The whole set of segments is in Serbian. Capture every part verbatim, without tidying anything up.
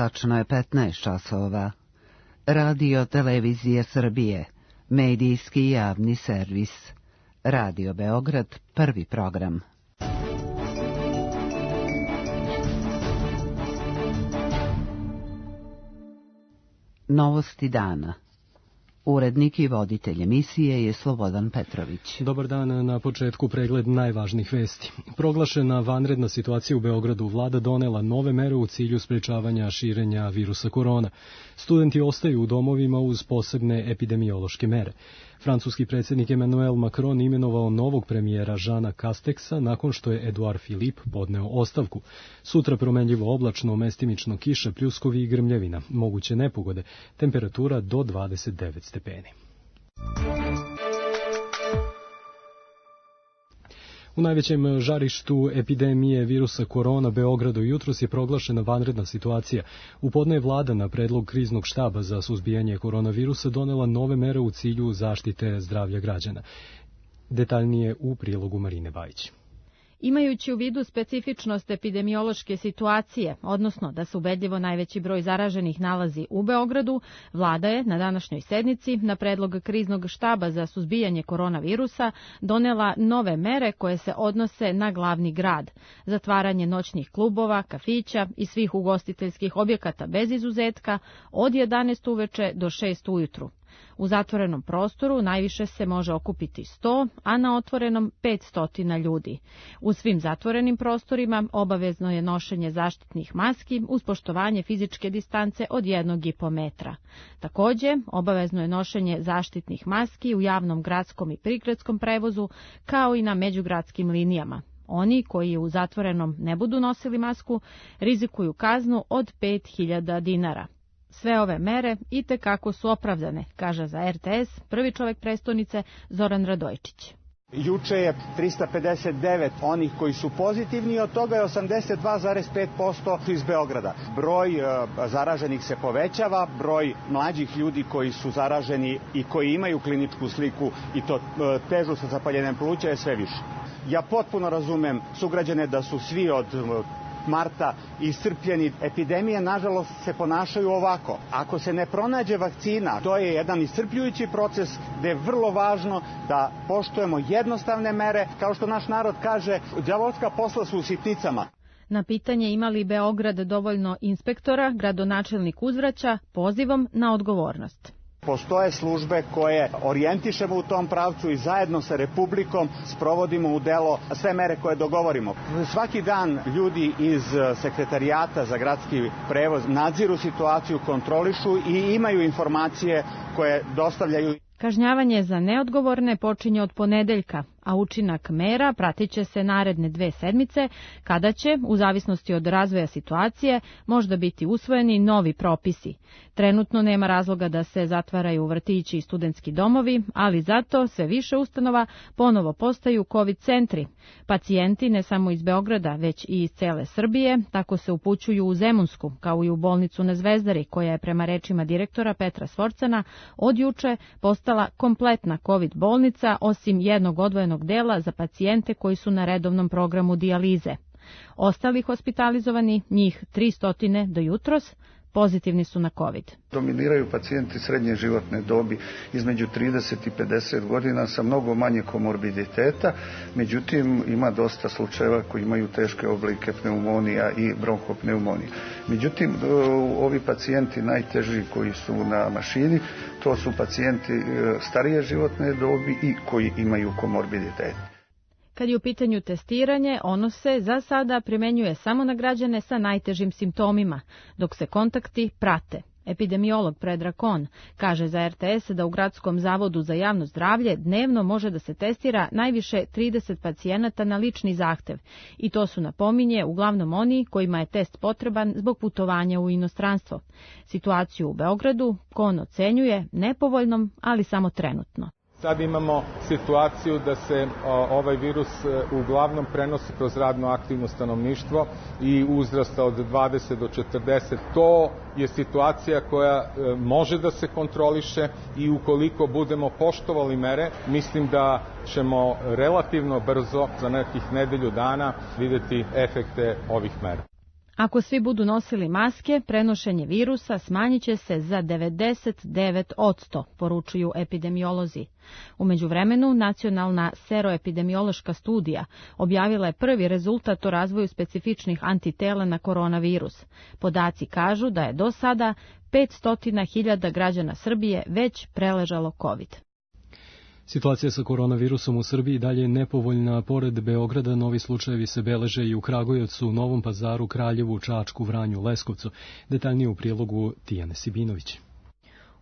Tačno je petnaest časova. Radio Televizije Srbije, medijski javni servis. Radio Beograd, prvi program. Novosti dana. Urednik i voditelj emisije je Slobodan Petrović. Dobar dan, na početku pregled najvažnijih vesti. Proglašena vanredna situacija u Beogradu, vlada donela nove mere u cilju sprečavanja širenja virusa korona. Studenti ostaju u domovima uz posebne epidemiološke mere. Francuski predsjednik Emmanuel Macron imenovao novog premijera Jeana Casteksa nakon što je Edouard Philippe podneo ostavku. Sutra promenljivo oblačno, mestimično kiša, pljuskovi i grmljevina, moguće nepogode, temperatura do dvadeset devet stepeni. U najvećem žarištu epidemije virusa korona Beogradu jutros je proglašena vanredna situacija. U podne je vlada na predlog kriznog štaba za suzbijanje koronavirusa donela nove mere u cilju zaštite zdravlja građana. Detaljnije u prilogu Marine Bajić. Imajući u vidu specifičnost epidemiološke situacije, odnosno da se ubedljivo najveći broj zaraženih nalazi u Beogradu, vlada je na današnjoj sednici na predlog kriznog štaba za suzbijanje koronavirusa donela nove mere koje se odnose na glavni grad. Zatvaranje noćnih klubova, kafića i svih ugostiteljskih objekata bez izuzetka od jedanaest uveče do šest ujutru. U zatvorenom prostoru najviše se može okupiti sto, a na otvorenom petsto ljudi. U svim zatvorenim prostorima obavezno je nošenje zaštitnih maski uz poštovanje fizičke distance od jednog i po metra. Takođe, obavezno je nošenje zaštitnih maski u javnom gradskom i prigradskom prevozu, kao i na međugradskim linijama. Oni koji u zatvorenom ne budu nosili masku rizikuju kaznu od pet hiljada dinara. Sve ove mere itekako su opravdane, kaže za er te es prvi čovek prestonice Zoran Radojčić. Juče je trista pedeset devet onih koji su pozitivni, od toga je osamdeset dva zarez pet posto iz Beograda. Broj e, zaraženih se povećava, broj mlađih ljudi koji su zaraženi i koji imaju kliničku sliku i to e, težu sa zapaljenjem pluća je sve više. Ja potpuno razumem sugrađane da su svi od marta iscrpljeni. Epidemije, nažalost, se ponašaju ovako. Ako se ne pronađe vakcina, to je jedan iscrpljujući proces gde je vrlo važno da poštujemo jednostavne mere. Kao što naš narod kaže, đavolska posla su u sitnicama. Na pitanje ima li Beograd dovoljno inspektora, gradonačelnik uzvraća pozivom na odgovornost. Postoje službe koje orijentišemo u tom pravcu i zajedno sa Republikom sprovodimo u delo sve mere koje dogovorimo. Svaki dan ljudi iz Sekretarijata za gradski prevoz nadziru situaciju, kontrolišu i imaju informacije koje dostavljaju. Kažnjavanje za neodgovorne počinje od ponedeljka, a učinak mera pratit će se naredne dve sedmice, kada će, u zavisnosti od razvoja situacije, možda biti usvojeni novi propisi. Trenutno nema razloga da se zatvaraju vrtići i studentski domovi, ali zato sve više ustanova ponovo postaju COVID centri. Pacijenti ne samo iz Beograda, već i iz cele Srbije, tako se upućuju u Zemunsku, kao i u bolnicu na Zvezdari, koja je prema rečima direktora Petra Svorcana od juče postala kompletna COVID bolnica, osim jednog odvojenog dela za pacijente koji su na redovnom programu dijalize. Ostali hospitalizovani, njih tristo do jutros, pozitivni su na COVID. Dominiraju pacijenti srednje životne dobi između trideset i pedeset godina sa mnogo manje komorbiditeta, međutim ima dosta slučajeva koji imaju teške oblike pneumonija i bronhopneumonija. Međutim, ovi pacijenti najteži koji su na mašini, to su pacijenti starije životne dobi i koji imaju komorbiditet. Kad je u pitanju testiranje, ono se za sada primenjuje samo na građane sa najtežim simptomima, dok se kontakti prate. Epidemiolog Predrag Kon kaže za er te es da u Gradskom zavodu za javno zdravlje dnevno može da se testira najviše trideset pacijenata na lični zahtev i to su, napominje, uglavnom oni kojima je test potreban zbog putovanja u inostranstvo. Situaciju u Beogradu Kon ocenjuje nepovoljnom, ali samo trenutno. Sad imamo situaciju da se ovaj virus uglavnom prenosi kroz radno aktivno stanovništvo i uzrasta od dvadeset do četrdeset. To je situacija koja može da se kontroliše i ukoliko budemo poštovali mere, mislim da ćemo relativno brzo, za nekih nedelju dana, videti efekte ovih mera. Ako svi budu nosili maske, prenošenje virusa smanjit će se za devedeset devet posto, poručuju epidemiolozi. U međuvremenu, nacionalna seroepidemiološka studija objavila je prvi rezultat o razvoju specifičnih antitela na koronavirus. Podaci kažu da je do sada petsto hiljada građana Srbije već preležalo COVID. Situacija sa koronavirusom u Srbiji dalje je nepovoljna. Pored Beograda, novi slučajevi se beleže i u Kragujevcu, Novom Pazaru, Kraljevu, Čačku, Vranju, Leskovcu. Detaljnije u prilogu Tijane Sibinović.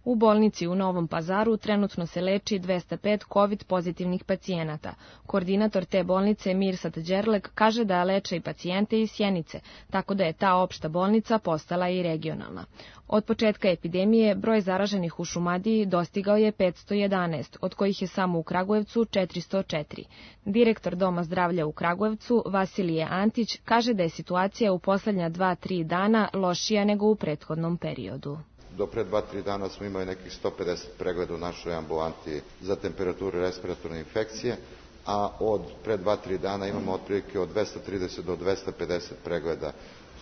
U bolnici u Novom Pazaru trenutno se leči dvesta pet COVID pozitivnih pacijenata. Koordinator te bolnice Mirsad Đerlek kaže da leče i pacijente iz Sjenice, tako da je ta opšta bolnica postala i regionalna. Od početka epidemije broj zaraženih u Šumadiji dostigao je petsto jedanaest, od kojih je samo u Kragujevcu četiristo četiri. Direktor Doma zdravlja u Kragujevcu, Vasilije Antić, kaže da je situacija u poslednja dva tri dana lošija nego u prethodnom periodu. Do pre dva tri dana smo imali nekih sto pedeset pregleda u našoj ambulanti za temperaturu i respiratorne infekcije, a od pre dva tri dana imamo otprilike od dvesta trideset do dvesta pedeset pregleda.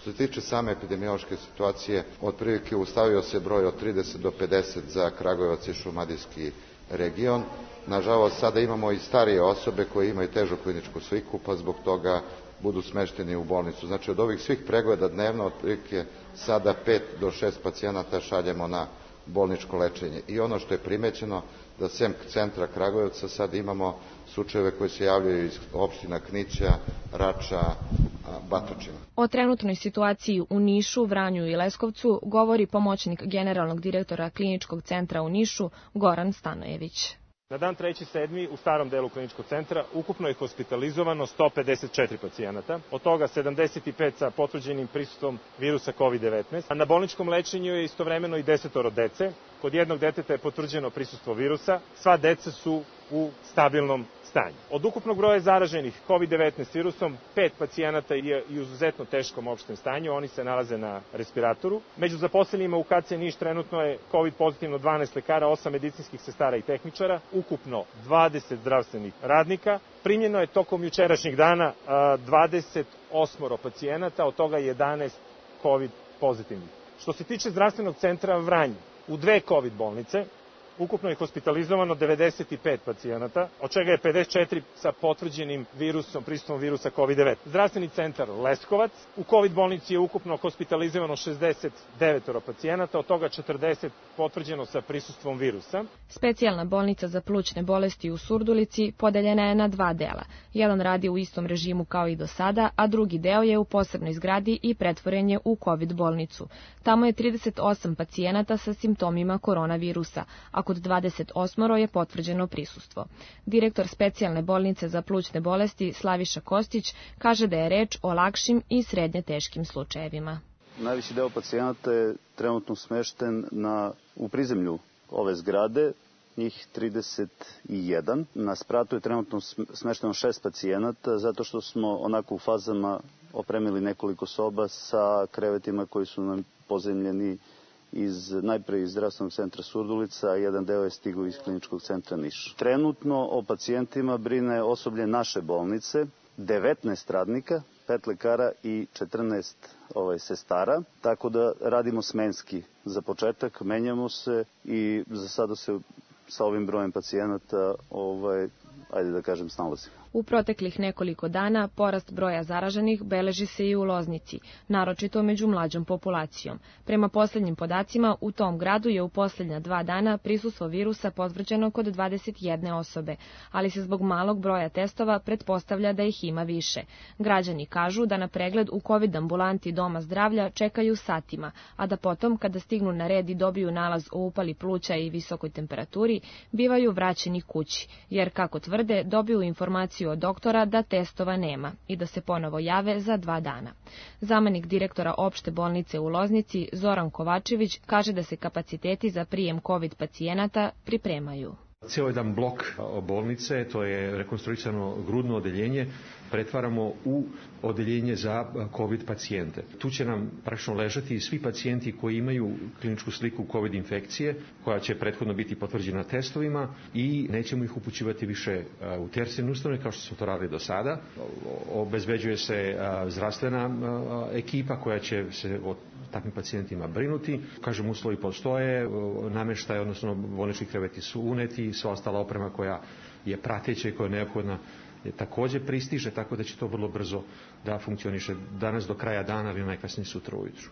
Što se tiče same epidemiološke situacije, otprilike ustavio se broj od trideset do pedeset za Kragujevac i Šumadijski region. Nažalost, sada imamo i starije osobe koje imaju težu kliničku sliku, pa zbog toga budu smešteni u bolnicu. Znači, od ovih svih pregleda dnevno, otprilike sada pet do šest pacijenata šaljemo na bolničko lečenje. I ono što je primećeno, da sem centra Kragujevca sad imamo slučajeve koji se javljaju iz opština Knića, Rača, Batočina. O trenutnoj situaciji u Nišu, Vranju i Leskovcu govori pomoćnik generalnog direktora kliničkog centra u Nišu, Goran Stanojević. Na dan treći sedmi u starom delu kliničkog centra ukupno je hospitalizovano sto pedeset četiri pacijenata, od toga sedamdeset pet sa potvrđenim prisustvom virusa kovid devetnaest, a na bolničkom lečenju je istovremeno i desetoro dece. Kod jednog deteta je potvrđeno prisustvo virusa, sva deca su u stabilnom stanju. Od ukupnog broja zaraženih kovid devetnaest virusom, pet pacijenata je u izuzetno teškom opštem stanju, oni se nalaze na respiratoru. Među zaposlenima u K C Niš trenutno je COVID pozitivno dvanaest lekara, osam medicinskih sestara i tehničara, ukupno dvadeset zdravstvenih radnika. Primljeno je tokom jučerašnjeg dana dvadeset osam pacijenata, od toga jedanaest COVID pozitivnih. Što se tiče zdravstvenog centra Vranje, u dve COVID bolnice, ukupno je hospitalizovano devedeset pet pacijenata, od čega je pedeset četiri sa potvrđenim virusom, prisustvom virusa kovid devetnaest. Zdravstveni centar Leskovac, u COVID bolnici je ukupno hospitalizovano šezdeset devet pacijenata, od toga četrdeset potvrđeno sa prisustvom virusa. Specijalna bolnica za plućne bolesti u Surdulici podeljena je na dva dela. Jedan radi u istom režimu kao i do sada, a drugi deo je u posebnoj zgradi i pretvoren je u COVID bolnicu. Tamo je trideset osam pacijenata sa simptomima koronavirusa, a kod dvadeset osam je potvrđeno prisustvo. Direktor specijalne bolnice za plućne bolesti Slaviša Kostić kaže da je reč o lakšim i srednje teškim slučajevima. Najveći deo pacijenata je trenutno smešten na, u prizemlju ove zgrade, njih trideset jedan. Na spratu je trenutno smešteno šest pacijenata, zato što smo onako u fazama opremili nekoliko soba sa krevetima koji su nam pozemljeni iz, najpre iz zdravstvenog centra Surdulica, a jedan deo je stigao iz kliničkog centra Niš. Trenutno o pacijentima brine osoblje naše bolnice, devetnaest radnika, pet lekara i četrnaest ovaj, sestara, tako da radimo smenski. Za početak menjamo se i za sada se sa ovim brojem pacijenata, ovaj, ajde da kažem, snalazimo. U proteklih nekoliko dana porast broja zaraženih beleži se i u Loznici, naročito među mlađom populacijom. Prema poslednjim podacima, u tom gradu je u poslednja dva dana prisustvo virusa potvrđeno kod dvadeset jedne osobe, ali se zbog malog broja testova pretpostavlja da ih ima više. Građani kažu da na pregled u COVID ambulanti Doma zdravlja čekaju satima, a da potom, kada stignu na red i dobiju nalaz o upali pluća i visokoj temperaturi, bivaju vraćeni kući, jer, kako tvrde, dobiju informaciju od doktora da testova nema i da se ponovo jave za dva dana. Zamenik direktora opšte bolnice u Loznici, Zoran Kovačević, kaže da se kapaciteti za prijem COVID pacijenata pripremaju. Cijel jedan blok bolnice, to je rekonstruisano grudno odeljenje, pretvaramo u odeljenje za COVID pacijente. Tu će nam praktično ležati svi pacijenti koji imaju kliničku sliku COVID infekcije, koja će prethodno biti potvrđena testovima i nećemo ih upućivati više u tercijarne ustanove kao što smo to radili do sada. Obezbeđuje se zdravstvena ekipa koja će se o takvim pacijentima brinuti. Kažem, uslovi postoje, nameštaj, odnosno bolnički kreveti su uneti, sva ostala oprema koja je prateća i koja je neophodna je takođe pristiže, tako da će to vrlo brzo da funkcioniše danas do kraja dana ili najkasnije sutra ujutru.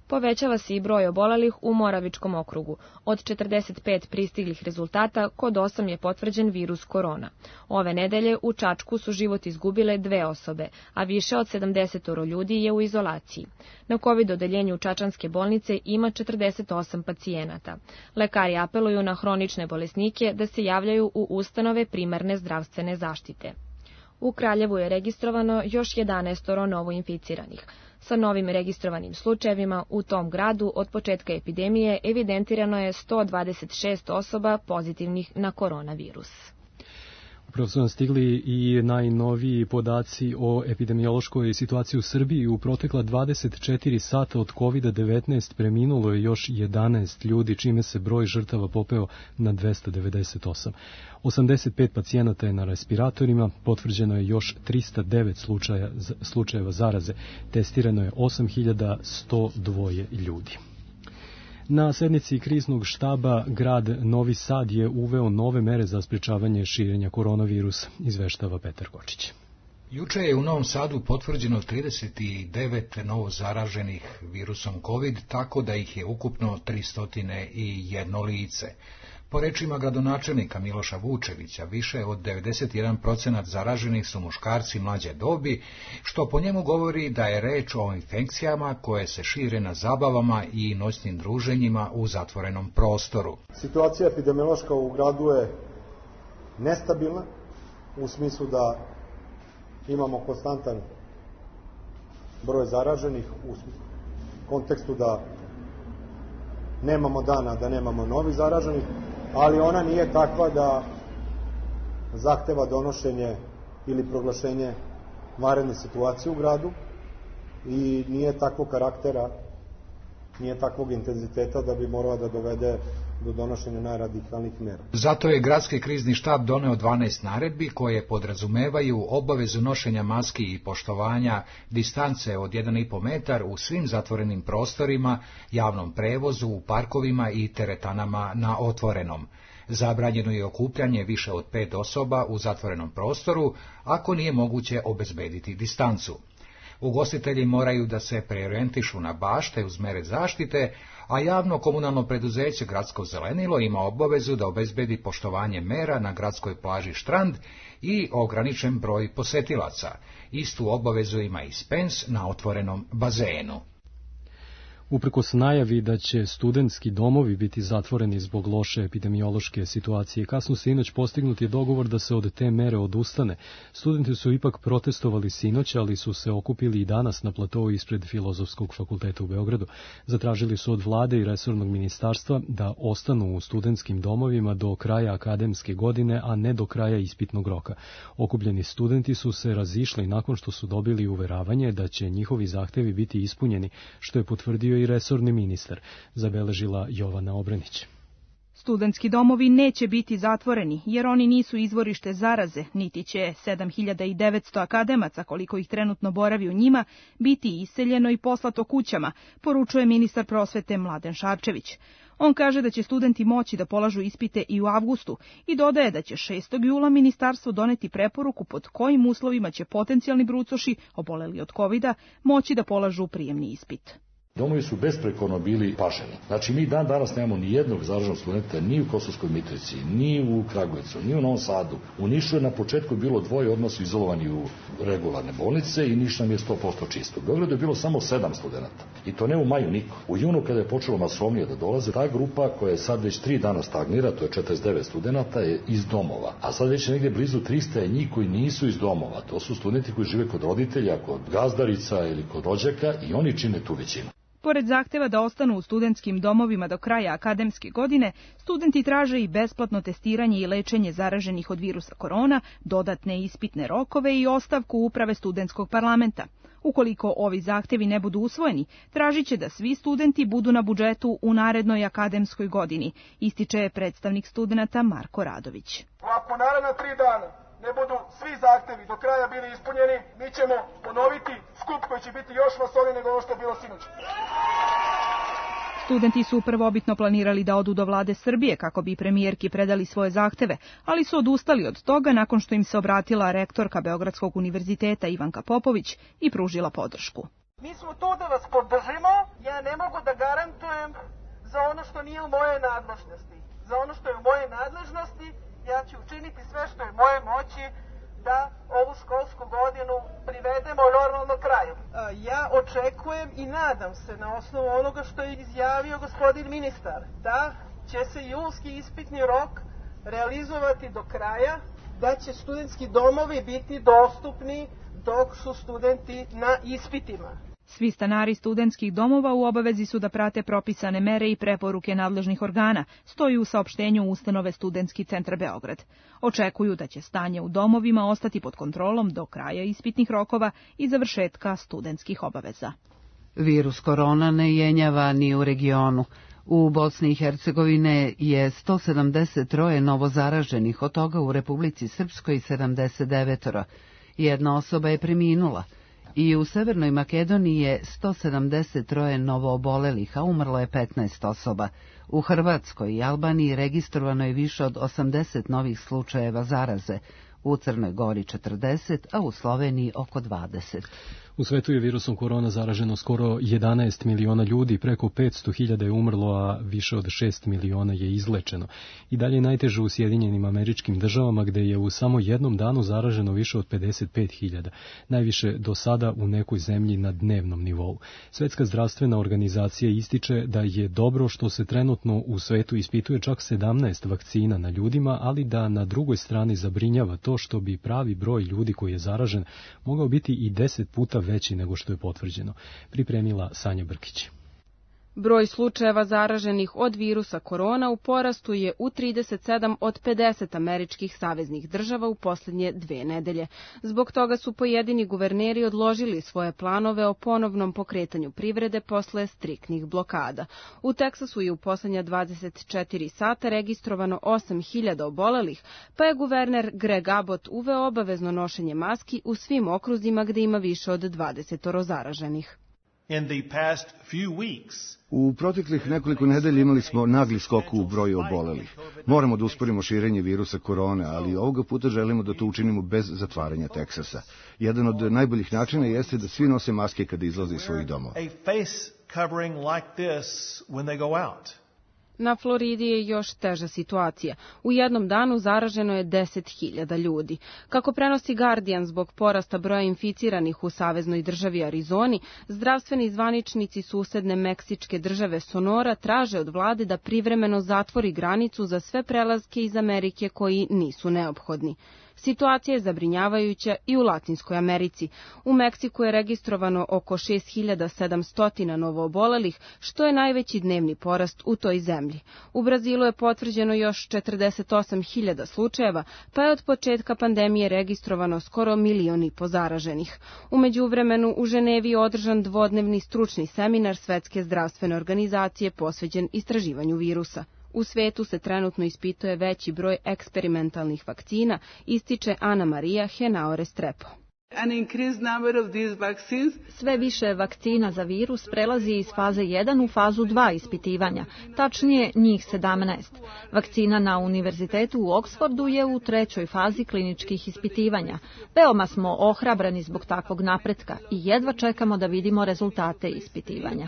Povećava se i broj obolelih u Moravičkom okrugu. Od četrdeset pet pristiglih rezultata, kod osam je potvrđen virus korona. Ove nedelje u Čačku su život izgubile dve osobe, a više od sedamdeset ljudi je u izolaciji. Na COVID odeljenju Čačanske bolnice ima četrdeset osam pacijenata. Lekari apeluju na hronične bolesnike da se javljaju u ustanove primarne zdravstvene zaštite. U Kraljevu je registrovano još jedanaest novoinficiranih. Sa novim registrovanim slučajevima u tom gradu od početka epidemije evidentirano je sto dvadeset šest osoba pozitivnih na koronavirus. Upravo su nam stigli i najnoviji podaci o epidemiološkoj situaciji u Srbiji. U protekla dvadeset četiri sata od kovid devetnaest preminulo je još jedanaest ljudi, čime se broj žrtava popeo na dvesta devedeset osam. osamdeset pet pacijenata je na respiratorima, potvrđeno je još trista devet slučaja, slučajeva zaraze, testirano je osam hiljada sto dva ljudi. Na sednici kriznog štaba grad Novi Sad je uveo nove mere za sprečavanje širenja koronavirusa, izveštava Petar Kočić. Juče je u Novom Sadu potvrđeno trideset devet novo zaraženih virusom COVID, tako da ih je ukupno tristo jedan lice. Po rečima gradonačelnika Miloša Vučevića, više od devedeset jedan procenat zaraženih su muškarci mlađe dobi, što po njemu govori da je reč o infekcijama koje se šire na zabavama i noćnim druženjima u zatvorenom prostoru. Situacija epidemiološka u gradu je nestabilna, u smislu da imamo konstantan broj zaraženih, u kontekstu da nemamo dana, da nemamo novih zaraženih, ali ona nije takva da zahteva donošenje ili proglašenje vanredne situacije u gradu i nije takvog karaktera, nije takvog intenziteta da bi morala da dovede do donošenja najradikalnijih mera. Zato je gradski krizni štab doneo dvanaest naredbi koje podrazumevaju obavezu nošenja maski i poštovanja distance od jedan i po metar u svim zatvorenim prostorima, javnom prevozu, u parkovima i teretanama na otvorenom. Zabranjeno je okupljanje više od pet osoba u zatvorenom prostoru, ako nije moguće obezbediti distancu. Ugostitelji moraju da se preorijentišu na bašte uz mere zaštite, a javno komunalno preduzeće Gradsko zelenilo ima obavezu da obezbedi poštovanje mera na gradskoj plaži Štrand i ograničen broj posetilaca. Istu obavezu ima i Spens na otvorenom bazenu. Uprkos najavi da će studentski domovi biti zatvoreni zbog loše epidemiološke situacije, kasno sinoć postignut je dogovor da se od te mere odustane. Studenti su ipak protestovali sinoć, ali su se okupili i danas na platou ispred Filozofskog fakulteta u Beogradu. Zatražili su od vlade i resornog ministarstva da ostanu u studentskim domovima do kraja akademske godine, a ne do kraja ispitnog roka. Okupljeni studenti su se razišli nakon što su dobili uveravanje da će njihovi zahtevi biti ispunjeni, što je potvrdio i resorni ministar, zabeležila Jovana Obrenić. Studentski domovi neće biti zatvoreni, jer oni nisu izvorište zaraze, niti će sedam hiljada devetsto akademaca, koliko ih trenutno boravi u njima, biti iseljeno i poslato kućama, poručuje ministar prosvete Mladen Šarčević. On kaže da će studenti moći da polažu ispite i u avgustu i dodaje da će šestog jula ministarstvo doneti preporuku pod kojim uslovima će potencijalni brucoši, oboleli od kovida, moći da polažu prijemni ispit. Domovi su besprekorno bili paženi. Znači, mi dan danas nemamo ni jednog zaraženog studenta ni u Kosovskoj Mitrovici, ni u Kragujevcu, ni u Novom Sadu. U Nišu je na početku bilo dvoje, odmah su izolovani u regularne bolnice i Niš nam je sto posto čisto. U Beogradu je bilo samo sedam studenta. I to ne u maju niko. U junu kada je počelo masovnije da dolaze, ta grupa koja je sad već tri dana stagnira, to je četrdeset devet studenta, je iz domova. A sad već negdje blizu trista je njih koji nisu iz domova. To su studenti koji žive kod roditelja, kod gazdarica ili kod rođaka i oni čine tu većinu. Pored zahteva da ostanu u studentskim domovima do kraja akademske godine, studenti traže i besplatno testiranje i lečenje zaraženih od virusa korona, dodatne ispitne rokove i ostavku uprave studentskog parlamenta. Ukoliko ovi zahtevi ne budu usvojeni, tražit će da svi studenti budu na budžetu u narednoj akademskoj godini, ističe predstavnik studenata Marko Radović. Ako naredna tri dana ne budu svi zahtevi do kraja bili ispunjeni, mi ćemo ponoviti skup koji će biti još masovniji nego ovo što je bilo sinoć. Studenti su prvobitno planirali da odu do vlade Srbije kako bi premijerki predali svoje zahteve, ali su odustali od toga nakon što im se obratila rektorka Beogradskog univerziteta Ivanka Popović i pružila podršku. Mi smo tu da vas podržimo, ja ne mogu da garantujem za ono što nije u moje nadležnosti. Za ono što je u moje nadležnosti, ja ću učiniti sve što je u moje moći da ovu školsku godinu privedemo normalno kraju. Ja očekujem i nadam se na osnovu onoga što je izjavio gospodin ministar, da će se julski ispitni rok realizovati do kraja, da će studentski domovi biti dostupni dok su studenti na ispitima. Svi stanari studentskih domova u obavezi su da prate propisane mere i preporuke nadležnih organa, stoji u saopštenju ustanove Studentski centar Beograd. Očekuju da će stanje u domovima ostati pod kontrolom do kraja ispitnih rokova i završetka studentskih obaveza. Virus korona ne jenjava ni u regionu. U Bosni i Hercegovine je sto sedamdeset troje novozaraženih, od toga u Republici Srpskoj sedamdeset devet. Jedna osoba je preminula. I u Severnoj Makedoniji je sto sedamdeset troje novoobolelih, a umrlo je petnaest osoba. U Hrvatskoj i Albaniji registrovano je više od osamdeset novih slučajeva zaraze, u Crnoj Gori četrdeset, a u Sloveniji oko dvadeset. U svetu je virusom korona zaraženo skoro jedanaest miliona ljudi, preko petsto hiljada je umrlo, a više od šest miliona je izlečeno. I dalje je najteže u Sjedinjenim Američkim Državama, gde je u samo jednom danu zaraženo više od pedeset pet hiljada, najviše do sada u nekoj zemlji na dnevnom nivou. Svetska zdravstvena organizacija ističe da je dobro što se trenutno u svetu ispituje čak sedamnaest vakcina na ljudima, ali da na drugoj strani zabrinjava to što bi pravi broj ljudi koji je zaražen mogao biti i deset puta veći nego što je potvrđeno, pripremila Sanja Brkić. Broj slučajeva zaraženih od virusa korona u porastu je u trideset sedam od pedeset američkih saveznih država u posljednje dve nedelje. Zbog toga su pojedini guverneri odložili svoje planove o ponovnom pokretanju privrede posle striktnih blokada. U Teksasu je u posljednja dvadeset četiri sata registrovano osam hiljada obolelih, pa je guverner Greg Abbott uveo obavezno nošenje maski u svim okruzima gde ima više od dvadeset zaraženih. U proteklih nekoliko nedelja imali smo nagli skok u broju obolelih. Moramo da usporimo širenje virusa korone, ali ovoga puta želimo da to učinimo bez zatvaranja Teksasa. Jedan od najboljih načina jeste da svi nose maske kada izlaze iz svojih domova. Na Floridi je još teža situacija. U jednom danu zaraženo je deset hiljada ljudi. Kako prenosi Guardian, zbog porasta broja inficiranih u saveznoj državi Arizoni, zdravstveni zvaničnici susedne meksičke države Sonora traže od vlade da privremeno zatvori granicu za sve prelaske iz Amerike koji nisu neophodni. Situacija je zabrinjavajuća i u Latinskoj Americi. U Meksiku je registrovano oko šest hiljada sedamsto novoobolelih, što je najveći dnevni porast u toj zemlji. U Brazilu je potvrđeno još četrdeset osam hiljada slučajeva, pa je od početka pandemije registrovano skoro milion i po zaraženih. U međuvremenu u Ženevi je održan dvodnevni stručni seminar Svetske zdravstvene organizacije posvećen istraživanju virusa. U svetu se trenutno ispituje veći broj eksperimentalnih vakcina, ističe Ana Marija Henao Restrepo. Sve više vakcina za virus prelazi iz faze jedan u fazu dva ispitivanja, tačnije njih sedamnaest. Vakcina na Univerzitetu u Oksfordu je u trećoj fazi kliničkih ispitivanja. Veoma smo ohrabrani zbog takvog napretka i jedva čekamo da vidimo rezultate ispitivanja.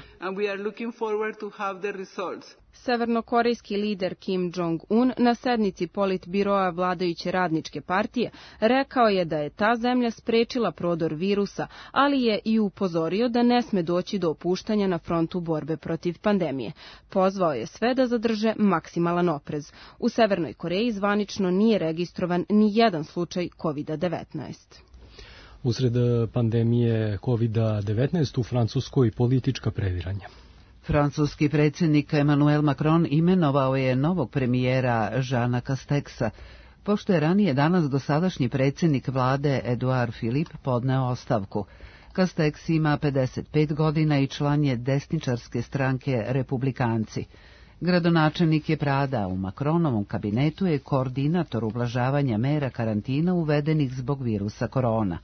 Severnokorejski lider Kim Jong-un na sednici politbiroa vladajuće radničke partije rekao je da je ta zemlja sprečila prodor virusa, ali je i upozorio da ne sme doći do opuštanja na frontu borbe protiv pandemije. Pozvao je sve da zadrže maksimalan oprez. U Severnoj Koreji zvanično nije registrovan ni jedan slučaj kovid devetnaest. Usred pandemije kovid devetnaest u Francuskoj politička previranja. Francuski predsjednik Emmanuel Macron imenovao je novog premijera Jeana Casteksa, pošto je ranije danas dosadašnji predsjednik vlade Edouard Philippe podneo ostavku. Castex ima pedeset pet godina i član je desničarske stranke Republikanci. Gradonačelnik je Prada, u Macronovom kabinetu je koordinator ublažavanja mera karantina uvedenih zbog virusa korona.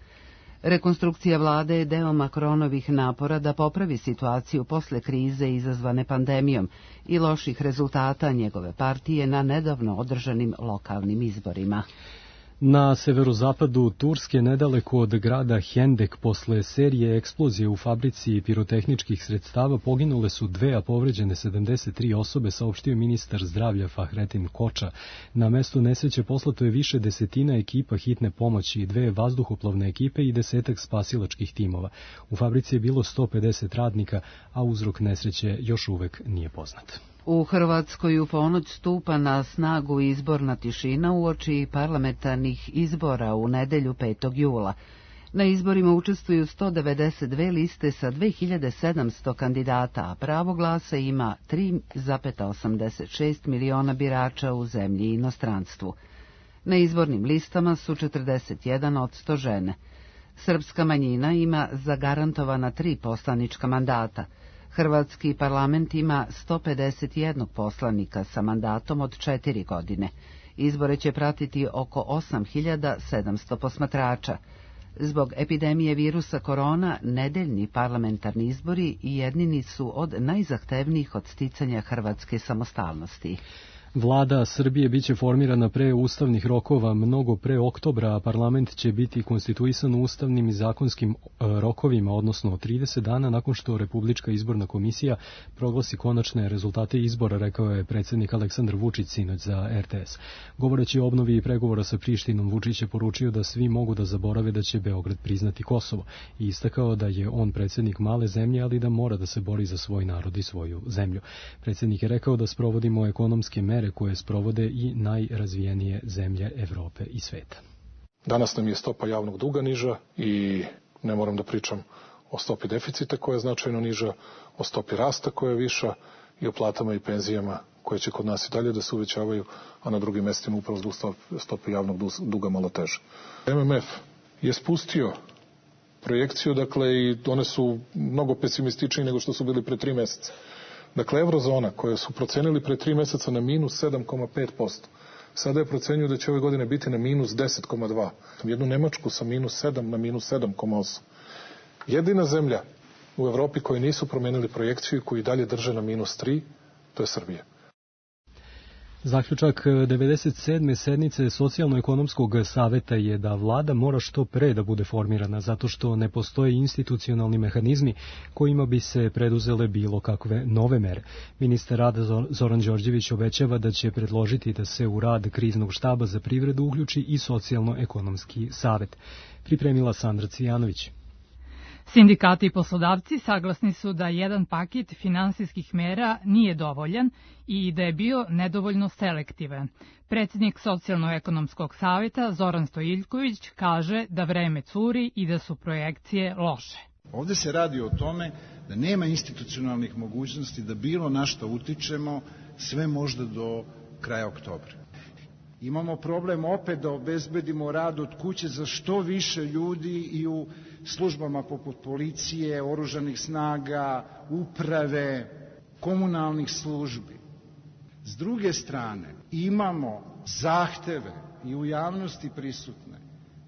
Rekonstrukcija vlade je deo Macronovih napora da popravi situaciju posle krize izazvane pandemijom i loših rezultata njegove partije na nedavno održanim lokalnim izborima. Na severozapadu Turske, nedaleko od grada Hendek, posle serije eksplozije u fabrici pirotehničkih sredstava poginule su dve, a povređene sedamdeset tri osobe, saopštio ministar zdravlja Fahrettin Koča. Na mestu nesreće poslato je više desetina ekipa hitne pomoći, dve vazduhoplovne ekipe i desetak spasilačkih timova. U fabrici je bilo sto pedeset radnika, a uzrok nesreće još uvek nije poznat. U Hrvatskoj u ponoć stupa na snagu izborna tišina uoči parlamentarnih izbora u nedelju petog jula. Na izborima učestvuju sto devedeset dve liste sa dve hiljade sedamsto kandidata, a pravo glasa ima tri zarez osamdeset šest miliona birača u zemlji i inostranstvu. Na izbornim listama su četrdeset jedan posto žene. Srpska manjina ima zagarantovana tri poslanička mandata. Hrvatski parlament ima sto pedeset jedan poslanika sa mandatom od četiri godine. Izbore će pratiti oko osam hiljada sedamsto posmatrača. Zbog epidemije virusa korona, nedeljni parlamentarni izbori jednini su od najzahtevnijih od sticanja hrvatske samostalnosti. Vlada Srbije biće formirana pre ustavnih rokova, mnogo pre oktobra, a parlament će biti konstituisan ustavnim i zakonskim rokovima, odnosno trideset dana nakon što Republička izborna komisija proglasi konačne rezultate izbora, rekao je predsjednik Aleksandar Vučić sinoć za er te es. Govoreći o obnovi i pregovora sa Prištinom, Vučić je poručio da svi mogu da zaborave da će Beograd priznati Kosovo i istakao da je on predsjednik male zemlje, ali da mora da se bori za svoj narod i svoju zemlju. Predsjednik je rekao da sprovodimo ekonomske mere koje sprovode i najrazvijenije zemlje Evrope i sveta. Danas nam je stopa javnog duga niža i ne moram da pričam o stopi deficita koja je značajno niža, o stopi rasta koja je viša i o platama i penzijama koje će kod nas i dalje da se uvećavaju, a na drugim mestima upravo zbog stope javnog duga malo teže. em em ef je spustio projekciju, dakle, i one su mnogo pesimističnije nego što su bili pre tri meseca. Dakle, eurozona koje su procenili pre tri meseca na minus sedam zarez pet posto, sada je procenjuju da će ove godine biti na minus deset zarez dva. Jednu Nemačku sa minus sedam na minus sedam zarez osam. Jedina zemlja u Evropi koji nisu promenili projekciju i koji dalje drže na minus tri, to je Srbija. Zaključak devedeset sedme sednice Socijalno-ekonomskog saveta je da vlada mora što pre da bude formirana, zato što ne postoje institucionalni mehanizmi kojima bi se preduzele bilo kakve nove mere. Ministar rada Zoran Đorđević obećava da će predložiti da se u rad kriznog štaba za privredu uključi i Socijalno-ekonomski savet. Pripremila Sandra Cijanović. Sindikati i poslodavci saglasni su da jedan paket finansijskih mera nije dovoljan i da je bio nedovoljno selektivan. Predsjednik Socijalno-ekonomskog saveta Zoran Stojiljković kaže da vreme curi i da su projekcije loše. Ovde se radi o tome da nema institucionalnih mogućnosti da bilo na što utičemo sve možda do kraja oktobra. Imamo problem opet da obezbedimo rad od kuće za što više ljudi i u službama poput policije, oružanih snaga, uprave, komunalnih službi. S druge strane, imamo zahteve i u javnosti prisutne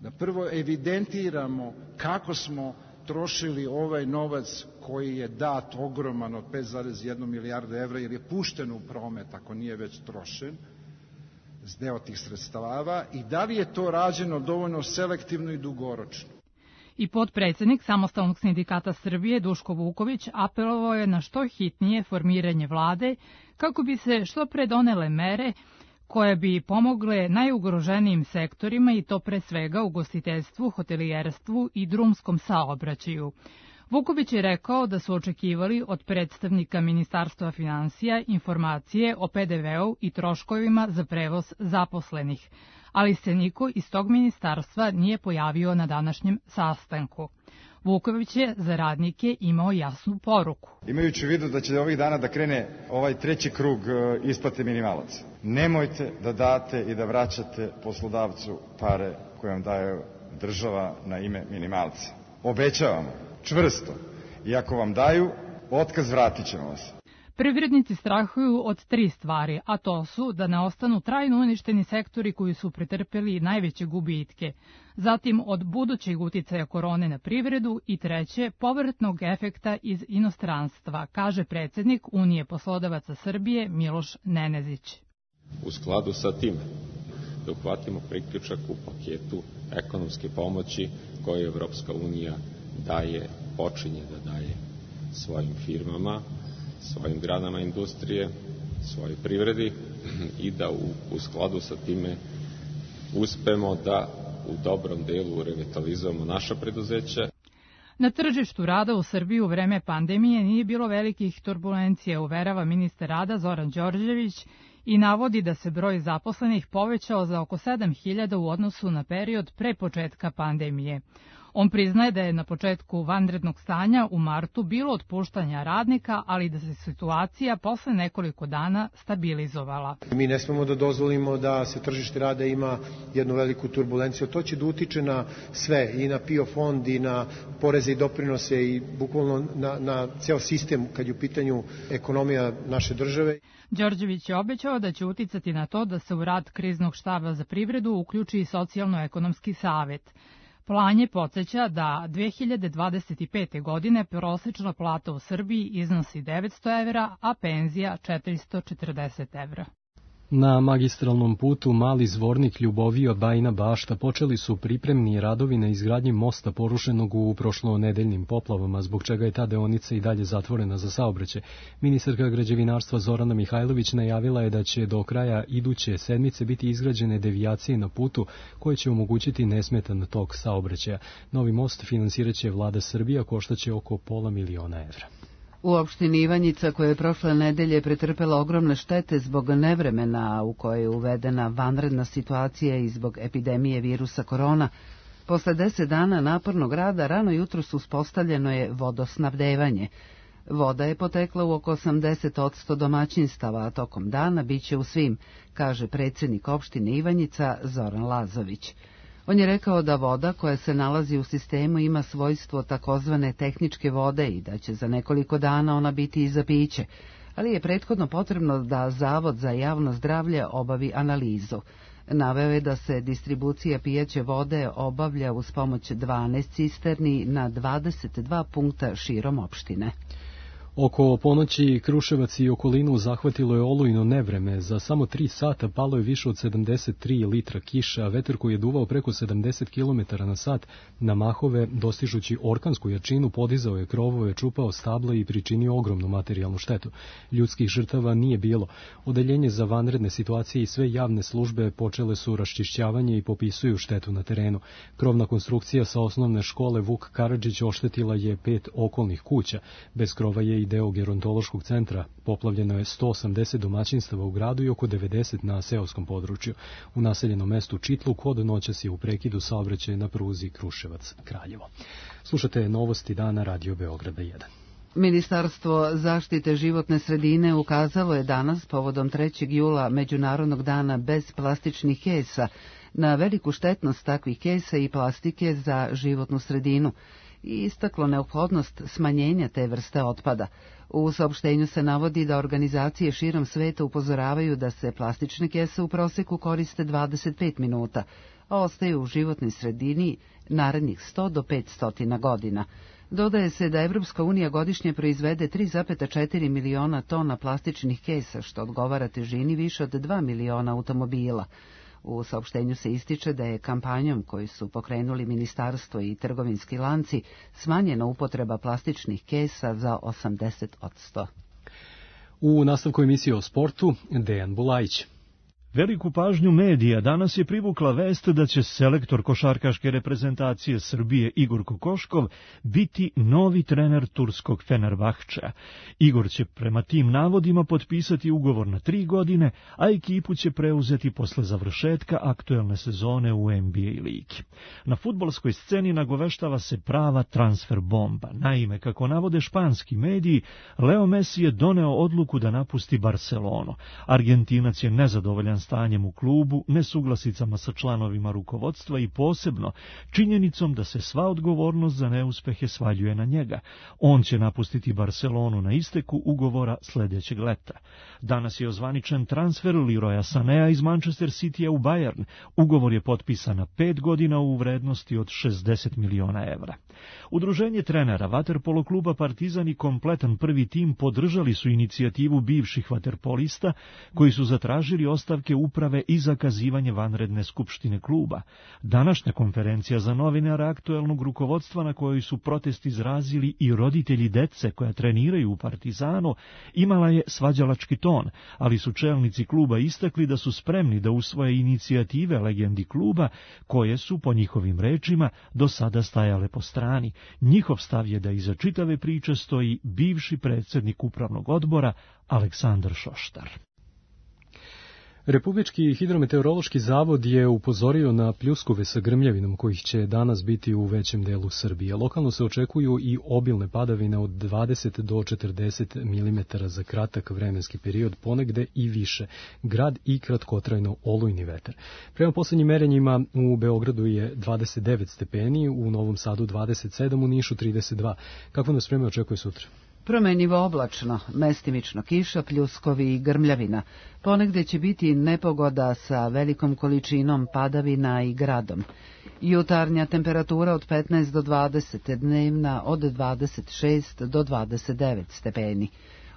da prvo evidentiramo kako smo trošili ovaj novac koji je dat ogroman od pet zarez jedna milijarda evra, jer je pušten u promet ako nije već trošen, s deo tih sredstava, i da li je to rađeno dovoljno selektivno i dugoročno. I potpredsjednik Samostalnog sindikata Srbije Duško Vuković apelovao je na što hitnije formiranje vlade kako bi se što pre donele mere koje bi pomogle najugroženijim sektorima i to pre svega ugostiteljstvu, hotelijerstvu i drumskom saobraćaju. Vuković je rekao da su očekivali od predstavnika Ministarstva finansija informacije o pe de veu i troškovima za prevoz zaposlenih, ali se niko iz tog ministarstva nije pojavio na današnjem sastanku. Vuković je za radnike imao jasnu poruku. Imajući u vidu da će ovih dana da krene ovaj treći krug isplate minimalaca, nemojte da date i da vraćate poslodavcu pare koje vam daje država na ime minimalca. Obećavamo, čvrsto, i ako vam daju, otkaz vratit ćemo vas. Privrednici strahuju od tri stvari, a to su da ne ostanu trajno uništeni sektori koji su pretrpeli najveće gubitke, zatim od budućeg uticaja korone na privredu i treće, povratnog efekta iz inostranstva, kaže predsednik Unije poslodavaca Srbije Miloš Nenezić. U skladu sa tim da uhvatimo priključak u paketu ekonomske pomoći koje Evropska unija daje, počinje da daje svojim firmama, svojim granama industrije, svojoj privredi i da u, u skladu sa time uspemo da u dobrom delu revitalizujemo naša preduzeća. Na tržištu rada u Srbiji u vreme pandemije nije bilo velikih turbulencija, uverava ministar rada Zoran Đorđević i navodi da se broj zaposlenih povećao za oko sedam hiljada u odnosu na period pre početka pandemije. On priznaje da je na početku vanrednog stanja u martu bilo otpuštanja radnika, ali da se situacija posle nekoliko dana stabilizovala. Mi ne smemo da dozvolimo da se tržište rada ima jednu veliku turbulenciju. To će da utiče na sve, i na P I O fond, i na poreze i doprinose, i bukvalno na, na ceo sistem kad je u pitanju ekonomija naše države. Đorđević je obećao da će uticati na to da se u rad kriznog štaba za privredu uključi i socijalno-ekonomski savet. Plan je podsjeća da dve hiljade dvadeset pete. godine prosečna plata u Srbiji iznosi devetsto evra, a penzija četiristo četrdeset evra. Na magistralnom putu Mali Zvornik Ljubovija Bajina Bašta počeli su pripremni radovi na izgradnji mosta porušenog u prošlonedeljnim poplavama, zbog čega je ta deonica i dalje zatvorena za saobraćaj. Ministarka građevinarstva Zorana Mihajlović najavila je da će do kraja iduće sedmice biti izgrađene devijacije na putu koje će omogućiti nesmetan tok saobraćaja. Novi most finansiraće vlada Srbija, koštaće oko pola miliona evra. U opštini Ivanjica, koja je prošle nedelje pretrpela ogromne štete zbog nevremena u kojoj je uvedena vanredna situacija i zbog epidemije virusa korona, posle deset dana napornog rada rano jutros uspostavljeno je vodosnabdevanje. Voda je potekla u oko osamdeset posto domaćinstava, a tokom dana biće u svim, kaže predsjednik opštine Ivanjica Zoran Lazović. On je rekao da voda koja se nalazi u sistemu ima svojstvo takozvane tehničke vode i da će za nekoliko dana ona biti i za piće, ali je prethodno potrebno da Zavod za javno zdravlje obavi analizu. Naveo je da se distribucija pijaće vode obavlja uz pomoć dvanaest cisterni na dvadeset dva punkta širom opštine. Oko ponoći Kruševac i okolinu zahvatilo je olujno nevreme. Za samo tri sata palo je više od sedamdeset tri litra kiša, a vetar koji je duvao preko sedamdeset kilometara na sat na mahove, dostižući orkansku jačinu, podizao je krovove, čupao stabla i pričinio ogromnu materijalnu štetu. Ljudskih žrtava nije bilo. Odeljenje za vanredne situacije i sve javne službe počele su raščišćavanje i popisuju štetu na terenu. Krovna konstrukcija sa osnovne škole Vuk Karadžić oštetila je pet okolnih kuća. Bez krova je i deo gerontološkog centra. Poplavljeno je sto osamdeset domaćinstava u gradu i oko devedeset na seoskom području. U naseljenom mestu Čitluk od noćas je u prekidu saobraćaja na pruzi Kruševac-Kraljevo. Slušate novosti dana Radio Beograda jedan. Ministarstvo zaštite životne sredine ukazalo je danas, povodom trećeg jula, Međunarodnog dana bez plastičnih kesa, na veliku štetnost takvih kesa i plastike za životnu sredinu i istaklo neophodnost smanjenja te vrste otpada. U saopštenju se navodi da organizacije širom sveta upozoravaju da se plastične kese u proseku koriste dvadeset pet minuta, a ostaju u životnoj sredini narednih sto do petsto godina. Dodaje se da Evropska unija godišnje proizvede tri zarez četiri miliona tona plastičnih kesa, što odgovara težini više od dva miliona automobila. U saopštenju se ističe da je kampanjom koju su pokrenuli ministarstvo i trgovinski lanci smanjena upotreba plastičnih kesa za osamdeset posto. U nastavku emisije o sportu, Dejan Bulajić. Veliku pažnju medija danas je privukla vest da će selektor košarkaške reprezentacije Srbije Igor Kokoškov biti novi trener turskog Fenerbahčea. Igor će prema tim navodima potpisati ugovor na tri godine, a ekipu će preuzeti posle završetka aktuelne sezone u N B A ligi. Na fudbalskoj sceni nagoveštava se prava transfer bomba. Naime, kako navode španski mediji, Leo Messi je doneo odluku da napusti Barcelonu. Argentinac je nezadovoljan stanjem u klubu, nesuglasicama sa članovima rukovodstva i posebno činjenicom da se sva odgovornost za neuspehe svaljuje na njega. On će napustiti Barcelonu na isteku ugovora sljedećeg leta. Danas je ozvaničen transfer Leroya Sanea iz Manchester Citya u Bayern. Ugovor je potpisan na pet godina u vrednosti od šezdeset miliona evra. Udruženje trenera vaterpolo kluba Partizan i kompletan prvi tim podržali su inicijativu bivših vaterpolista koji su zatražili ostavke uprave i zakazivanje vanredne skupštine kluba. Današnja konferencija za novinara aktuelnog rukovodstva na kojoj su protest izrazili i roditelji dece koja treniraju u Partizanu imala je svađalački ton, ali su čelnici kluba istakli da su spremni da usvoje inicijative legendi kluba koje su, po njihovim rečima, do sada stajale po strani. Njihov stav je da iza čitave priče stoji bivši predsjednik upravnog odbora Aleksandar Šoštar. Republički hidrometeorološki zavod je upozorio na pljuskove sa grmljavinom kojih će danas biti u većem delu Srbije. Lokalno se očekuju i obilne padavine od dvadeset do četrdeset milimetara za kratak vremenski period, ponegde i više. Grad i kratkotrajno olujni vetar. Prema posljednjim merenjima u Beogradu je dvadeset devet stepeni, u Novom Sadu dvadeset sedam, u Nišu trideset dva. Kako nas vreme očekuje sutra? Promenjivo oblačno, mestimično kiša, pljuskovi i grmljavina. Ponegde će biti nepogoda sa velikom količinom padavina i gradom. Jutarnja temperatura od petnaest do dvadeset, dnevna od dvadeset šest do dvadeset devet stepeni.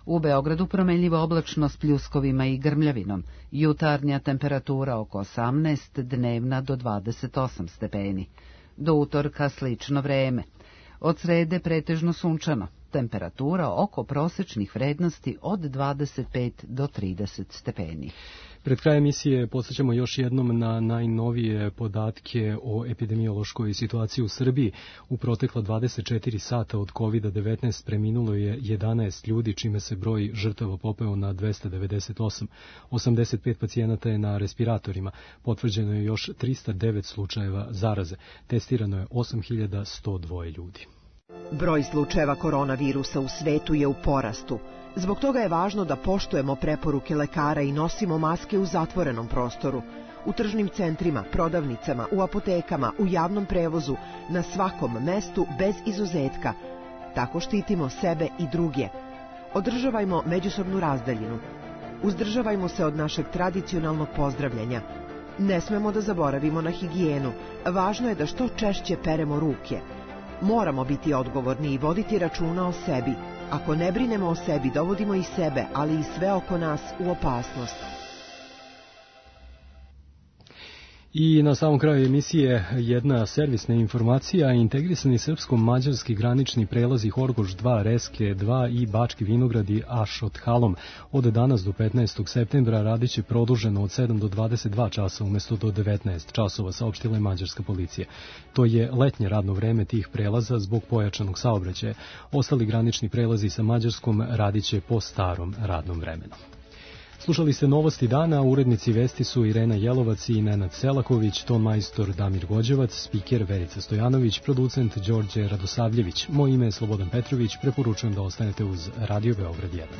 U Beogradu promenljivo oblačno s pljuskovima i grmljavinom. Jutarnja temperatura oko osamnaest, dnevna do dvadeset osam stepeni. Do utorka slično vreme. Od srede pretežno sunčano. Temperatura oko prosečnih vrednosti od dvadeset pet do trideset stepeni. Pred krajem emisije podsjećamo još jednom na najnovije podatke o epidemiološkoj situaciji u Srbiji. U protekla dvadeset četiri sata od kovid devetnaest preminulo je jedanaest ljudi, čime se broj žrtava popeo na dvesta devedeset osam. osamdeset pet pacijenata je na respiratorima. Potvrđeno je još trista devet slučajeva zaraze. Testirano je osam hiljada sto dva ljudi. Broj slučajeva koronavirusa u svetu je u porastu. Zbog toga je važno da poštujemo preporuke lekara i nosimo maske u zatvorenom prostoru, u tržnim centrima, prodavnicama, u apotekama, u javnom prevozu, na svakom mestu bez izuzetka. Tako štitimo sebe i druge. Održavajmo međusobnu razdaljinu. Uzdržavajmo se od našeg tradicionalnog pozdravljanja. Ne smemo da zaboravimo na higijenu. Važno je da što češće peremo ruke. Moramo biti odgovorni i voditi računa o sebi. Ako ne brinemo o sebi, dovodimo i sebe, ali i sve oko nas u opasnost. I na samom kraju emisije jedna servisna informacija. Integrisani srpsko-mađarski granični prelazi Horgoš dva, Reske dva i Bački Vinogradi Ašot Halom od danas do petnaestog septembra radit će produženo od sedam do dvadeset dva časa umjesto do devetnaest časova, saopštila je mađarska policija. To je letnje radno vreme tih prelaza zbog pojačanog saobraćaja. Ostali granični prelazi sa Mađarskom radit će po starom radnom vremenu. Slušali ste Novosti dana, urednici vesti su Irena Jelovac i Nenad Selaković, ton majstor Damir Gođevac, spiker Verica Stojanović, producent Đorđe Radosavljević. Moje ime je Slobodan Petrović, preporučujem da ostanete uz Radio Beograd jedan.